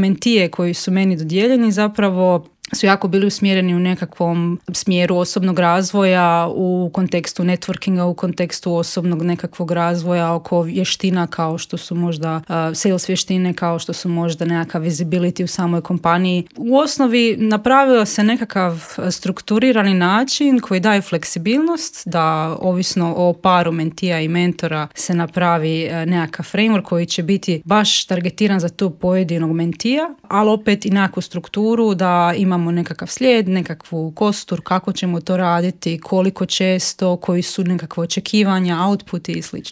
mentije koji su meni dodijeljeni zapravo su jako bili usmjereni u nekakvom smjeru osobnog razvoja, u kontekstu networkinga, u kontekstu osobnog nekakvog razvoja oko vještina kao što su možda sales vještine, kao što su možda nekakav visibility u samoj kompaniji. U osnovi napravio se nekakav strukturirani način koji daje fleksibilnost da ovisno o paru mentija i mentora se napravi nekakav framework koji će biti baš targetiran za tu pojedinog mentija, ali opet i nekakvu strukturu da imamo nekakav slijed, nekakvu kostur, kako ćemo to raditi, koliko često, koji su nekakve očekivanja, outputi i slično.